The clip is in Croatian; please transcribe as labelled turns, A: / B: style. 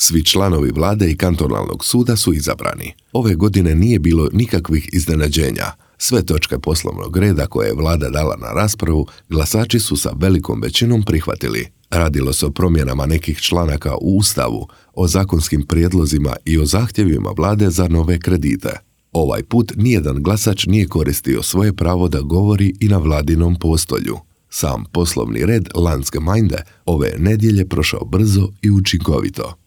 A: Svi članovi vlade i kantonalnog suda su izabrani. Ove godine nije bilo nikakvih iznenađenja. Sve točke poslovnog reda koje je vlada dala na raspravu, glasači su sa velikom većinom prihvatili. Radilo se o promjenama nekih članaka u Ustavu, o zakonskim prijedlozima i o zahtjevima vlade za nove kredite. Ovaj put nijedan glasač nije koristio svoje pravo da govori i na vladinom postolju. Sam poslovni red Landsgemeinde ove nedjelje prošao brzo i učinkovito.